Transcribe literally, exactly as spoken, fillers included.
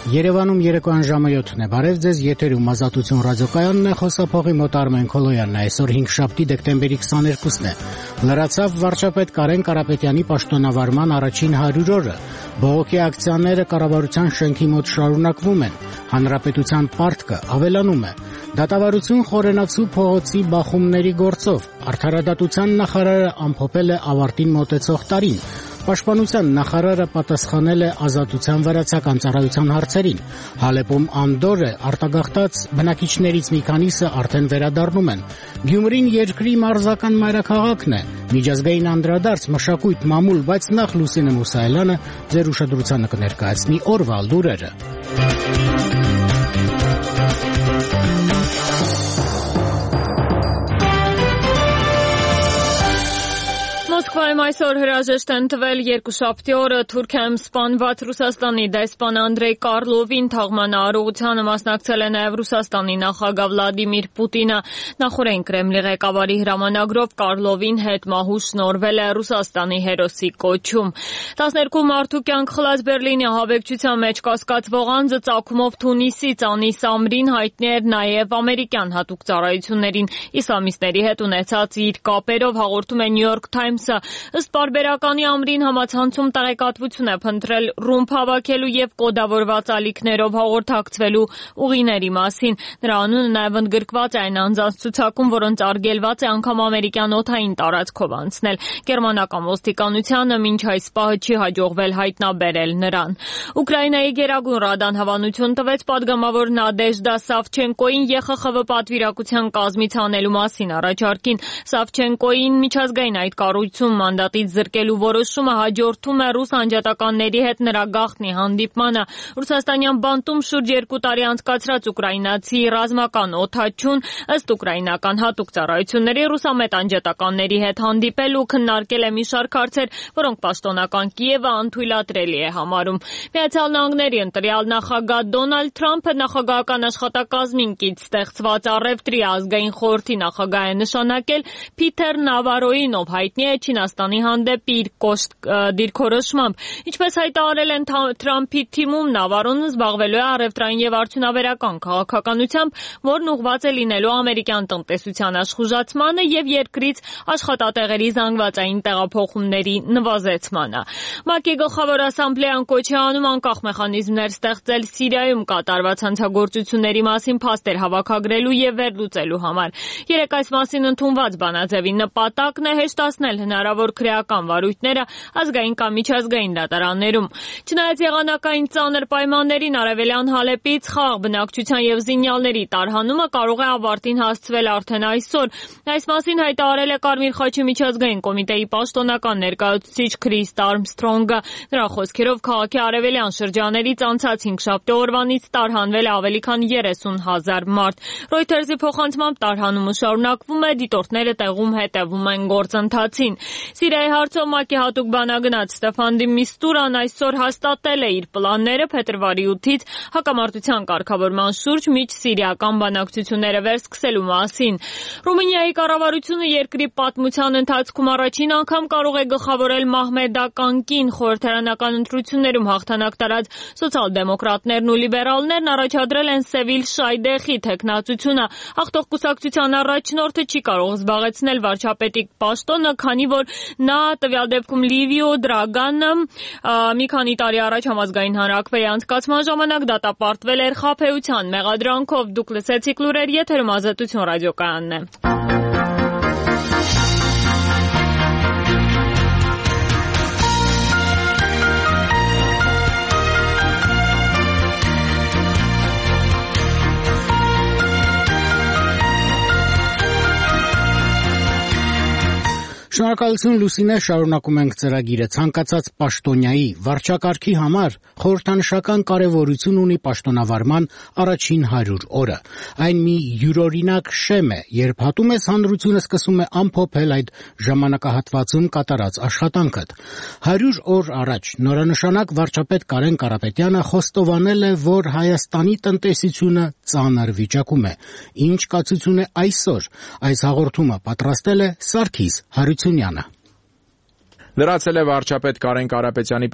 Երևանում երեկոյան ժամը յոթն է, բարև ձեզ, եթերում Ազատություն ռադիոկայանն է, խոսափողի մոտ Արմեն Քոլոյանն է, այսօր հինգշաբթի դեկտեմբերի քսաներկուսն է, լրացավ վարչապետ Կարեն Կարապետյանի պաշտոնավարման առաջին հարյուր օրը, բողոքի ակցիաները կառավարության շենքի մոտ շարունակվում են, հանրապետության պարտքը ավելանում է, դատավարություն Խորենացու փողոցի բախումների գործով, արդարադատության նախարարը ամփոփել է ավարտին մոտեցող տարին, Պաշտպանության նախարարը պատասխանել է ազատության վրացական ծառայության հարցերին, Հալեպում անդոր է, արտագաղթած բնակիչներից մի քանիսը արդեն վերադառնում են, Գյումրին երկրի մարզական մայրաքաղաքն է, միջազգային անդրադարձ, մշակույթ, մամուլ, բայց նախ Լուսինե Մուսայելյանը ձեր ուշադրությանը կներկայացնի օրվա լուրերը։ Մոսկվայում այսօր հրաժեշտ են տվել երկուշաբթի օրը Թուրքիայում սպանված Ռուսաստանի դեսպան Անդրեյ Կարլովին, թաղմանը արարողությանը մասնակցել է նաև Ռուսաստանի նախագահ Վլադիմիր Պուտինը, նախօրեն Կրեմլի ղեկավարի հրամանագրով Կարլովին հետմահու շնորհվել է Ռուսաստանի հերոսի կոչում։ տասներկու մարդու կյանք խլած Բերլինի ահաբեկչության մեջ կասկածվող անձը ծագումով Թունիսից Անիս Ամրին հայտնի էր նաև ամերիկյան հատուկ ծառայություններին իսլամիստների հետ ունեցած իր կապերով, հաղորդում է New York Times-ը։ Ըստ պարբերականի Ամրին համացանցում տեղեկատվություն է փնտրել ռումբ հավաքելու եւ կոդավորված ալիքներով հաղորդակցվելու ուղիների մասին։ Նրա անունը նաև ընդգրկված է այն անձանց ցուցակում, որոնց արգելված է անգամ ամերիկյան օդային տարածքով անցնել։ Գերմանական ոստիկանությանը մինչ այս պահը չի հաջողվել հայտնաբերել նրան։ Ուկրաինայի Գերագույն Ռադան հավանություն տվեց падգամավոր Նադեժդա Սավչենկոին Ե Խ Խ V պատվիրակության կազմից անելու մասին առաջարկին։ Սավչենկոին միջազգային այդ կառույցում մանդատից զրկելու որոշումը հաջորդում է ռուս անջատականների հետ նրա գաղտնի հանդիպմանը։ Ռուսաստանյան բանտում շուրջ երկու տարի անցկացրած ուկրաինացի ռազմական օդաչուն ըստ ուկրաինական հատուկ ծառայությունների ռուսամետ անջատականների հետ հանդիպել ու քննարկել է մի շարք հարցեր, որոնք պաշտոնական Կիևը անթույլատրելի է համարում։ Միացյալ Նահանգների ընտրյալ նախագահ Դոնալդ Թրամփը նախագահական աշխատակազմին կից ստեղծված առևտրի ազգային խորհրդի նախագահ է նշանակել Փիթեր Նավարոյին, ով հայտնի է Չինաստանի հանդեպ իր կոշտ դիրքորոշմամբ։ Ինչպես հայտարարել են Թրամփի թիմում, Նավարոն զբաղվելու է առևտրային եւ արդյունաբերական քաղաքականությամբ, որն ուղղված է լինելու ամերիկյան տնտեսության աշխուժացմանը եւ երկրից աշխատատեղերի զանգվածային տեղափոխումների նվազեցմանը։ ՄԱԿ-ի գլխավոր ասամբլեան կոչ է անում անկախ մեխանիզմներ ստեղծել Սիրիայում կատարված հանցագործությունների մասին փաստեր հավաքագրելու եւ վերլուծելու համար։ Երեկ այս մասին ընդունված բանաձևի նպատակն է հեշտացնել հնարավոր քրեական վարույթները ազգային կամ միջազգային դատարաններում։ Չնայած եղանակային ծանր պայմաններին արևելյան Հալեպից խաղաղ բնակչության եւ զինյալների տարհանումը կարող է ավարտին հասցվել արդեն այսօր։ Այս մասին հայտարարել է Կարմիր խաչի միջազգային կոմիտեի պաշտոնական ներկայացուցիչ Քրիստ Արմսթրոնգը։ Նրա խոսքերով քաղաքի արևելյան շրջաներից անցած հինգշաբթի օրվանից տարհանվել է ավելի քան երեսուն հազար մարդ։ Reuters-ի փոխանցմամբ տարհանումը շարունակվում է, դիտորդները տեղում հետևում են գործընթացին։ Սիրիայի հարցով ՄԱԿ-ի հատուկ բանագնաց Ստեֆան դի Միստուրան այսօր հաստատել է իր պլանները փետրվարի ութից հակամարտության կարգավորման շուրջ միջսիրիական բանակցությունները վերսկսելու մասին։ Ռումինիայի կառավարությունը երկրի պատմության ընթացքում առաջին անգամ կարող է գլխավորել մահմեդական կին։ Խորհրդարանական ընտրություններում հաղթանակ տարած սոցիալ-դեմոկրատներն ու լիբերալներն առաջադրել են Սևիլ Շայդեխի թեկնածությունը։ Հաղթող կուսակցության առաջնորդը չի կարող զբաղեցնել վարչապետի պաշտոնը, քանի որ նա տվյալ դեպքում Լիվիո Դրագանը մի քանի տարի առաջ համազգային հանրաքվեի անցկացման ժամանակ դատապարտվել էր խաբեության մեղադրանքով։ Դուք լսեցիք լուրեր, եթերում Ազատություն ռադիոկայանն է։ Շնորհակալություն Լուսինե, շարունակում ենք ծրագիրը։ Ցանկացած պաշտոնյայի վարչակարգի համար խորհրդանշական կարևորություն ունի պաշտոնավարման առաջին հարյուր օրը։ Այն մի յուրօրինակ շեմ է, երբ հատում ես հանրությունը սկսում է ամփոփել այդ ժամանակահատվածում կատարած աշխատանքդ։ հարյուր օր առաջ նորանշանակ վարչապետ Կարեն Կարապետյանը խոստովանել է, որ Հայաստանի տնտեսությունը ծանր վիճակում է։ Ինչ կացություն է այսօր։ Այս հաղորդումը պատրաստել է Սարգիս Հարությունյանը։ Լրացել է վարչապետ Կարեն Կարապետյանի